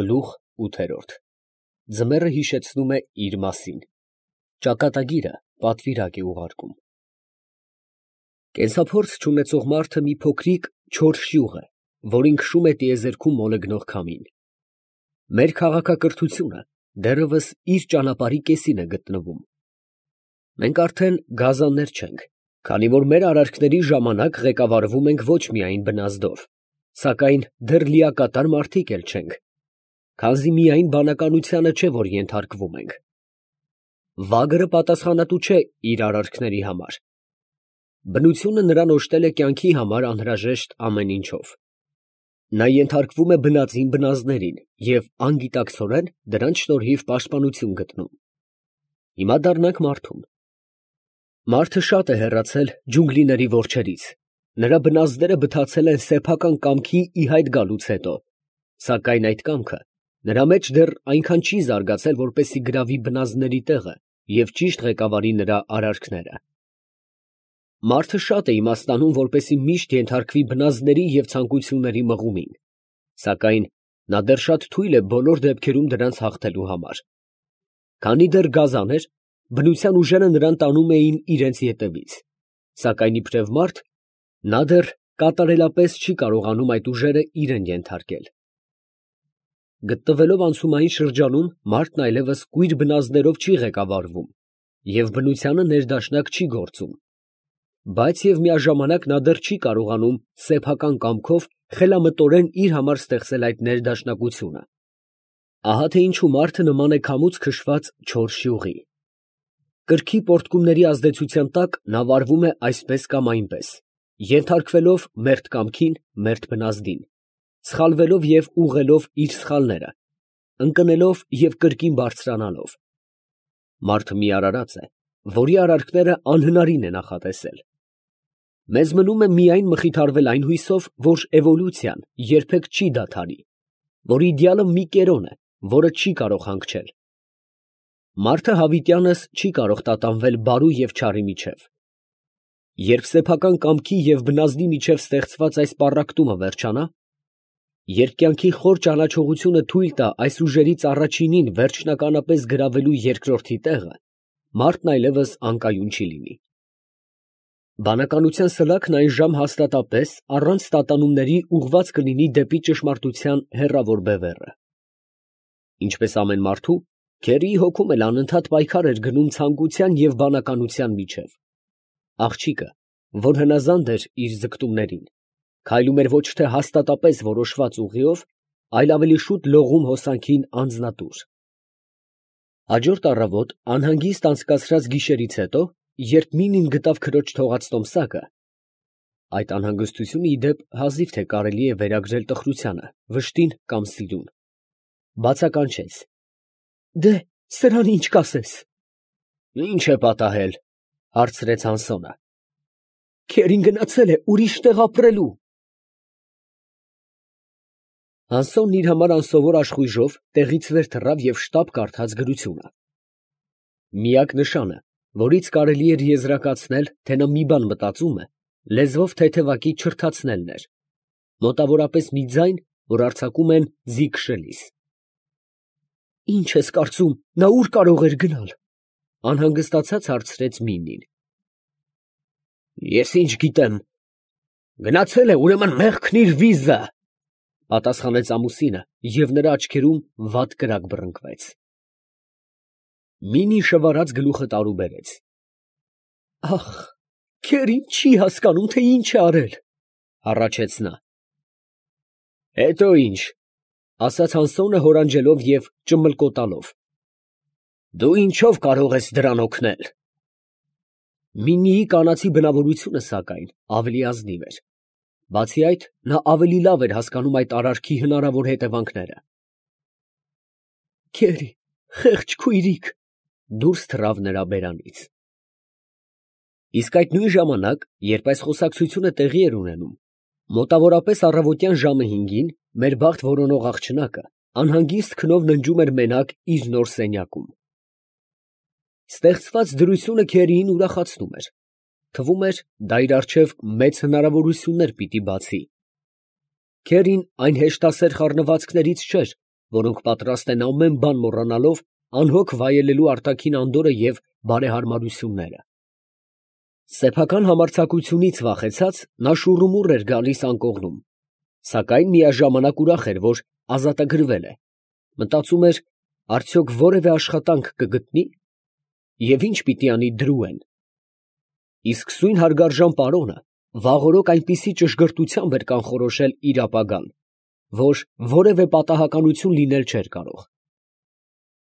Գլուխ 8։ Ձմեռը հիշեցնում է իր մասին։ Ճակատագիրը պատվիրակ է ուղարկում։ Կենսափորձ չունեցող մարդը մի փոքրիկ չոր շյուղ է, որին քշում է տիեզերքում մոլեգնող քամին։ Մեր քաղաքակրթությունը դեռևս իր ճանապարհի կեսին է գտնվում։ Մենք արդեն գազաններ չենք, քանի որ մեր արարքների ժամանակ ղեկավարվում ենք ոչ միայն բնազդով, սակայն դեռ լիակատար մարդիկ էլ չենք, քանզի միայն բանականությանը չէ, որ ենթարկվում ենք։ Վագրը պատասխանատու չէ իր արարքների համար։ Բնությունը նրան օժտել է կյանքի համար անհրաժեշտ ամեն ինչով։ Նա ենթարկվում է բնածին բնազդներին և անգիտակցորեն դրանց շնորհիվ պաշտպանություն գտնում։ Հիմա դառնանք մարդուն։ Մարդը շատ է հեռացել ջունգլիների որջերից, նրա բնազդները բթացել են սեփական կամքի ի հայտ գալուց հետո, սակայն այդ կամքը նրա մեջ դեռ այնքան չի զարգացել, որպեսզի գրավի բնազդների տեղը և ճիշտ ղեկավարի նրա արարքները։ Մարդը շատ է իմաստանում, որպեսզի միշտ ենթարկվի բնազդների և ցանկությունների մղումին, սակայն նա դեռ շատ թույլ է բոլոր դեպքերում դրանց հաղթելու համար։ Քանի դեռ գազան էր, բնության ուժերը նրան տանում էին իրենց ետևից, սակայն իբրև մարդ, նա դեռ կատարելապես չի կարողանում այդ ուժերը իրեն ենթարկել։ Գտնվելով անցումային շրջանում, մարդն այլևս կույր բնազդներով չի ղեկավարվում և բնությանը ներդաշնակ չի գործում, բայց և միաժամանակ նա դեռ չի կարողանում սեփական կամքով խելամտորեն իր համար ստեղծել այդ ներդաշնակությունը։ Ահա թե ինչու մարդը նման է քամուց քշված չոր շյուղի։ Կրքի պոռթկումների ազդեցության տակ նա վարվում է այսպես կամ այնպես, ենթարկվելով մերթ կամքին, մերթ բնազդին, սխալվելով և ուղղելով իր սխալները, ընկնելով և կրկին բարձրանալով։ Մարդը մի արարած է, որի արարքները անհնարին է նախատեսել։ Մեզ մնում է միայն մխիթարվել այն հույսով, որ էվոլյուցիան երբեք չի դադարի, որ իդեալը մի կերոն է, որը չի կարող հանգչել։ Մարդը հավիտյանս չի կարող տատանվել բարու և չարի միջև։ Երբ սեփական կամքի և բնազդի միջև ստեղծված այս պառակտումը վերջանա, երբ կյանքի խոր ճանաչողությունը թույլ տա այս ուժերից առաջինին վերջնականապես գրավելու երկրորդի տեղը, մարդն այլևս անկայուն չի լինի։ Բանականության սլաքն այն ժամ հաստատապես առանց տատանումների ուղղված կլինի դեպի ճշմարտության հեռավոր բևեռը։ Ինչպես ամեն մարդու, Քերիի հոգում էլ անընդհատ պայքար էր գնում ցանկության և բանականության միջև։ Աղջիկը, որ հնազանդ էր իր ձգտումներին, քայլում էր ոչ թե հաստատապես որոշված ուղիով, այլ ավելի շուտ լողում հոսանքին անձնատուր։ Հաջորդ առավոտ անհանգիստ անցկացրած գիշերից հետո, երբ Մինին գտավ քրոջ թողած տոմսակը, այդ անհանգստությունը ի դեպ հազիվ թե կարելի է վերագրել տխրությանը, վշտին կամ սիրուն, բացականչեց. «Դե, սրան ի՞նչ կասես»։ «Ի՞նչ է պատահել», հարցրեց Հանսոնը։ «Քերին գնացել է ուրիշ տեղ ապրելու»։ Հանսոնն իր համար անսովոր աշխույժով տեղից վեր թռավ և շտապ կարդաց գրությունը։ Միակ նշանը, որից կարելի էր եզրակացնել, թե նա մի բան մտածում է, լեզվով թեթևակի չրթացնելն էր, մոտավորապես մի ձայն, որ արձակում են ձի քշելիս։ «Ի՞նչ ես կարծում, նա ո՞ւր կարող էր գնալ», անհանգստացած հարցրեց Մինին։ «Ես ինչ գիտեմ, գնացել է, ուրեմն մեղքն իր վիզը», պատասխանեց ամուսինը, և նրա աչքերում վատ կրակ բռնկվեց։ Մինին շվարած գլուխը տարուբերեց։ «Ախ, Քերին չի հասկանում, թե ինչ է արել», հառաչեց նա։ «Հետո ի՞նչ», ասաց Հանսոնը հորանջելով և ճմլկոտալով։ «Դու ինչով կարող ես դրան օգնել»։ Մինիի կանացի բնավորությունը, սակայն, ավելի ազնիվ էր։ Բացի այդ, նա ավելի լավ էր հասկանում այդ արարքի հնարավոր հետևանքները։ «Քերի, խեղճ քույրիկ», դուրս թռավ նրա բերանից։ Իսկ այդ նույն ժամանակ, երբ այս խոսակցությունը տեղի էր ունենում, մոտավորապես առավոտյան ժամը 5-ին, մեր բախտ որոնող աղջնակը անհանգիստ քնով ննջում էր մենակ իր նոր սենյակում։ Ստեղծված դրությունը Քերիին ուրախացնում էր։ Թվում էր, դա իր առջև մեծ հնարավորություններ պիտի բացի։ Քերին այն հեշտասեր խառնվածքներից չէր, որոնք պատրաստ են ամեն բան մոռանալով անհոգ վայելելու արտաքին անդորրը և բարեհարմարությունները։ Սեփական համարձակությունից վախեցած, նա շուռումուռ էր գալիս անկողնում, սակայն միաժամանակ ուրախ էր, որ ազատագրվել է, մտածում էր, արդյոք որևէ աշխատանք կգտնի, և ինչ պիտի անի Դրուեն։ Իսկ սույն հարգարժան պարոնը վաղօրոք այնպիսի ճշգրտությամբ էր կանխորոշել իր ապագան, որ որևէ պատահականություն լինել չէր կարող։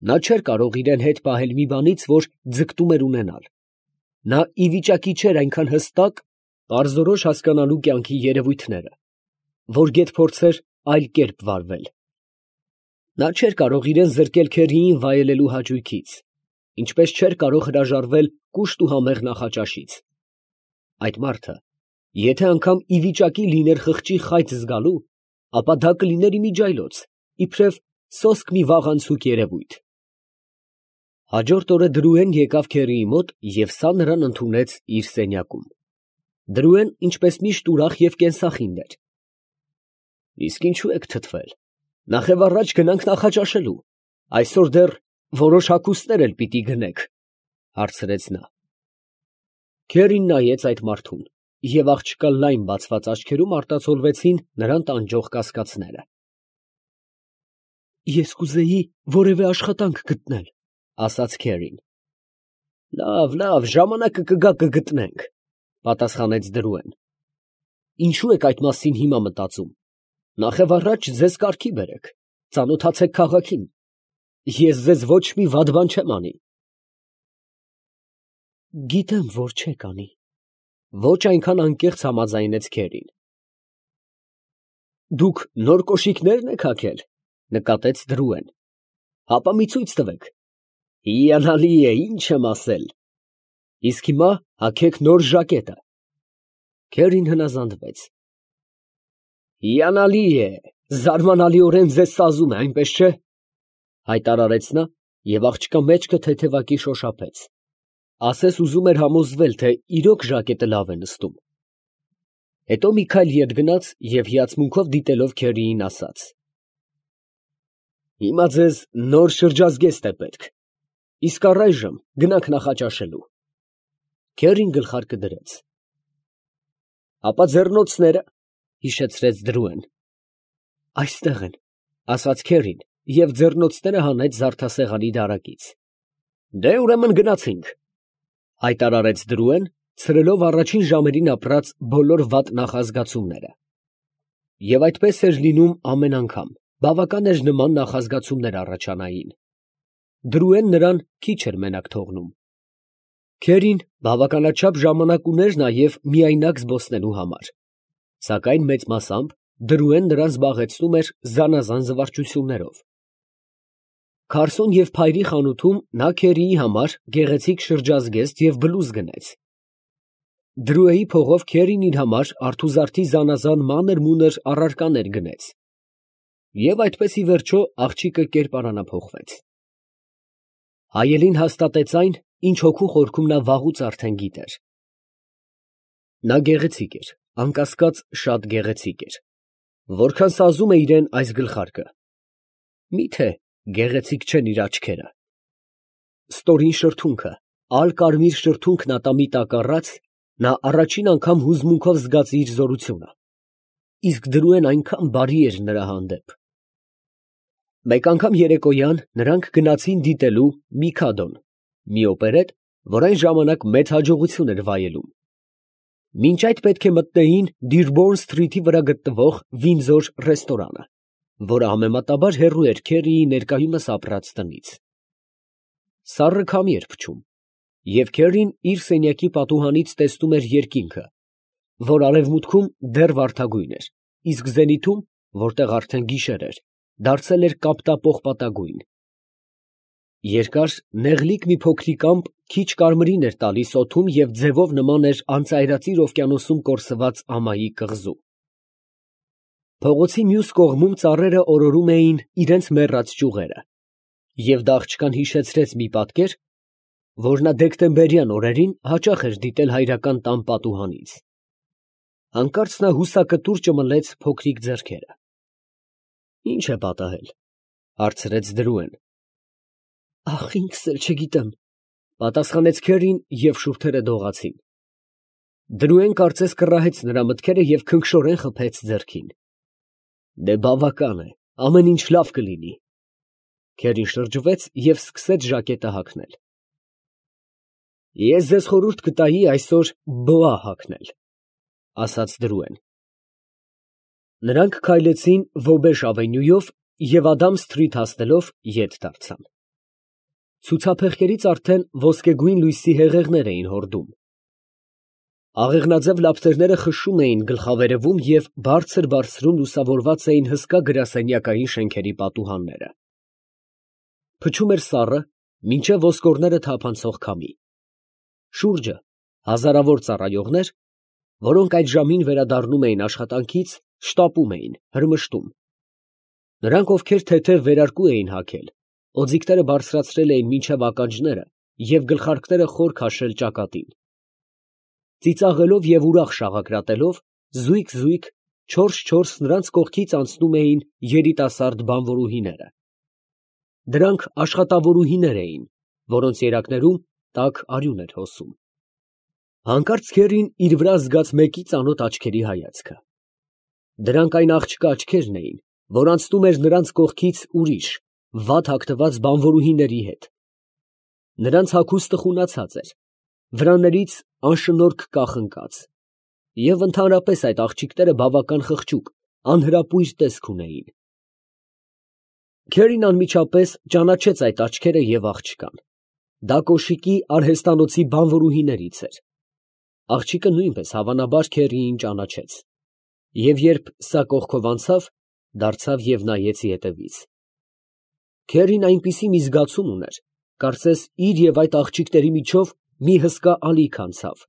Նա չէր կարող իրան հետ պահել մի բանից, որ ձգտում էր ունենալ։ Նա ի վիճակի չէր այնքան հստակ, պարզորոշ հասկանալու կյանքի երևույթները, որ գեթ փորձեր այլ կերպ վարվել։ Նա չէր կարող իրան զրկել Քերիին վայելելու հաճույքից, ինչպես չէր կարող հրաժարվել կուշտ ու համեղ նախաճաշից։ Այդ մարդը, եթե անգամ ի վիճակի լիներ խղճի խայծ զգալու, ապա դա կլիներ իմիջիայլոց, իբրև սոսկ մի վաղանցուկ երևույթ։ Հաջորդ օրը Դրուեն եկավ Քերիի մոտ և սա նրան ընդունեց իր սենյակում։ Դրուեն ինչպես միշտ ուրախ և կենսախինդ էր։ Իսկ ինչու եք թթվել, նախևառաջ գնանք նախաճաշելու, այսօր դեռ որոշ հագուստներ էլ պիտի գնեք, հարցրեց նա։ Քերին նայեց այդ մարդուն, և աղջկա լայն բացված աչքերում արտացոլվեցին նրան տանջող կասկածները։ Ես կուզեի որևէ աշխատանք գտնել, ասաց Քերին։ Լավ, ժամանակը կգա կգտնենք, պատասխանեց Դրուեն։ Ինչու եք այդ մասին հիմա մտածում, նախևառաջ ձեզ կարգի բերեք, ծանոթացեք քաղաքին, ես ձեզ ոչ մի վատ բան չեմ անի։ Գիտեմ, որ չեք անի, ոչ այնքան անկեղծ համաձայնեց Քերին։ Դուք նոր կոշիկնե՞րն եք հագել, նկատեց Դրուեն։ Հապա մի ցույց տվեք։ Հիանալի է, ինչ եմ ասել։ Իսկ հիմա հագեք նոր ժակետը։ Քերին հնազանդվեց։ Հիանալի է, զարմանալիորեն ձեզ սազում է, այնպես չէ, հայտարարեց նա և աղջկա մեջքը թեթևակի շոշափեց։ Ասես ուզում էր համոզվել, թե իրոք ժակետը լավ է նստում։ Հետո մի քայլ ետ գնաց և հիացմունքով դիտելով Քերիին ասաց. Հիմա ձեզ նոր շրջազգեստ է պետք, իսկ առայժմ գնանք նախաճաշելու։ Քերին գլխարկը դրեց։ Ապա ձեռնոցները, հիշեցրեց Դրուեն։ Այստեղ են, ասաց Քերին և ձեռնոցները հանեց զարդասեղանի դարակից։ Դե ուրեմն գնացինք, հայտարարեց Դրուեն, ցրելով առաջին ժամերին ապրած բոլոր վատ նախազգացումները։ Եվ այդպես էր լինում ամեն անգամ, բավական էր նման նախազգացումներ առաջանային։ Դրուեն նրան քիչ էր մենակ թողնում։ Քերին բավականաչափ ժամանակ ուներ նաև միայնակ զբոսնելու համար, սակայն մեծ մասամբ Դրուեն նրան զբաղեցնում էր զանազան զվարճություններով։ Քարսոն և Փայրի խանութում նա Քերիի համար գեղեցիկ շրջազգեստ և բլուզ գնեց։ Դրուեի փողով Քերին իր համար արթուզարդի զանազան մանր֊մունր առարկաներ գնեց։ Եվ այդպես ի վերջո աղջիկը կերպարանափոխվեց։ Հայելին հաստատեց այն, ինչ հոգու խորքում նա վաղուց արդեն գիտեր։ Նա գեղեցիկ էր, անկասկած շատ գեղեցիկ էր։ Որքան սազում է իրան այս գլխարկը։ Մի՞թե գեղեցիկ չեն իր աչքերը։ Ստորին շրթունքը, ալ֊կարմիր շրթունքն ատամի տակ առած, նա առաջին անգամ հուզմունքով զգաց իր զորությունը։ Իսկ Դրուեն այնքան բարի էր նրա հանդեպ։ Մեկ անգամ երեկոյան նրանք գնացին դիտելու Միքադոն, մի օպերետ, որ այն ժամանակ մեծ հաջողություն էր վայելում։ Մինչ այդ պետք է մտնեին Դիրբոուրն Սթրիթի վրա գտնվող Վինձոր ռեստորանը, որը համեմատաբար հեռու էր Քերիի ներկայումս ապրած տնից։ Սառը քամի էր փչում, և Քերին իր սենյակի պատուհանից տեսնում էր երկինքը, որ արևմուտքում դեռ վարդագույն էր, իսկ զենիթում, որտեղ արդեն գիշեր էր, դարձել էր կապտապողպատագույն։ Երկար, նեղլիկ մի փոքրիկ ամպ քիչ կարմիրին էր տալիս օդում և ձևով նման էր անծայրածիր օվկիանոսում կորսված ամայի կղզու։ Փողոցի մյուս կողմում ծառերը օրորում էին իրենց մեռած ճյուղերը, և դա աղջկան հիշեցրեց մի պատկեր, որ նա դեկտեմբերյան օրերին հաճախ էր դիտել հայրական տան պատուհանից։ Հանկարծ նա հուսակտուր ճմլեց փոքրիկ ձեռքերը։ Ի՞նչ է պատահել։ Հարցրեց Դրուեն։ Ախ, ինքս էլ չգիտեմ, պատասխանեց Քերին և շուրթերը դողացին։ Դրուեն կարծես կռահեց նրա մտքերը և քնքշորեն խփեց ձեռքին։ Դե բավական է, ամեն ինչ լավ կլինի։ Քերին շրջվեց և սկսեց ժակետը հագնել։ Ես ձեզ խորհուրդ կտայի այսօր բոա հագնել, ասաց Դրուեն։ Նրանք քայլեցին Ոբեշ ավենյուով և Ադամ սթրիթ հասնելով ետ դարձան։ Ցուցափեղկերից արդեն ոսկեգույն լույսի հեղեղներ էին հորդում։ Աղեղնաձև լապտերները խշշում էին գլխավերևում և բարձր լուսավորված էին հսկա գրասենյակային շենքերի պատուհանները։ Փչում էր սառը, մինչև ոսկորները թափանցող քամի։ Շուրջը հազարավոր ծառայողներ, որոնք այդ ժամին վերադառնում էին աշխատանքից, շտապում էին, հրմշտում։ Նրանք, ովքեր թեթև վերարկու էին հագել, օձիքները բարձրացրել էին մինչև ականջները և գլխարկները խոր քաշել ճակատին։ Ծիծաղելով և ուրախ շաղակրատելով, զույգ չորս նրանց կողքից անցնում էին երիտասարդ բանվորուհիները։ Դրանք աշխատավորուհիներ էին, որոնց երակներում տաք արյուն էր հոսում։ Հանկարծ Քերին իր վրա զգաց մեկի ծանոթ աչքերի հայացքը։ Դրանք այն աղջկա աչքերն էին, որ անցնում էր նրանց կողքից ուրիշ, վատ հագնված բանվորուհիների հետ։ Նրանց հագուստը խունացած էր, վրաներից անշնորհք կախ ընկած, և ընդհանրապես այդ աղջիկները բավական խղճուկ, անհրապույր տեսք ունեին։ Քերին անմիջապես ճանաչեց այդ աչքերը և աղջկան։ Դա կոշիկի արհեստանոցի բանվորուհիներից էր։ Աղջիկը նույնպես հավանաբար Քերիին ճանաչեց, և երբ սա կողքով անցավ, դարձավ և նայեց ետևից։ Քերին այնպիսի մի զգացում ուներ, կարծես իր և այդ աղջիկների միջով մի հսկա ալիք անցավ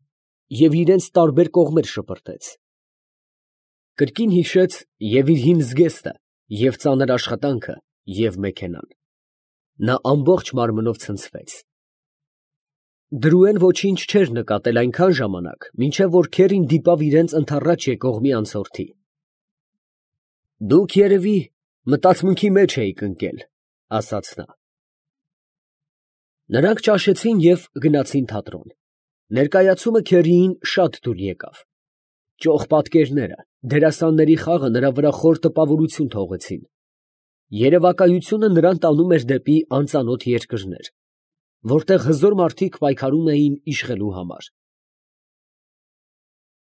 և իրենց տարբեր կողմեր շպրտեց։ Կրկին հիշեց և՛ իր հին զգեստը, և՛ ծանր աշխատանքը, և՛ մեքենան։ Նա ամբողջ մարմնով ցնցվեց։ Դրուեն ոչինչ չէր նկատել այնքան ժամանակ, մինչև որ Քերին դիպավ իրենց ընդառաջ եկող մի անցորդի։ Դուք, երևի, մտածմունքի մեջ էիք ընկել, ասաց նա։ Նրանք ճաշեցին և գնացին թատրոն։ Ներկայացումը Քերիին շատ դուր եկավ։ Ճոխ պատկերները, դերասանների խաղը նրա վրա խոր տպավորություն թողեցին։ Երևակայությունը նրան տանում էր դեպի անծանոթ երկրներ, որտեղ հզոր մարդիկ պայքարում էին իշխելու համար։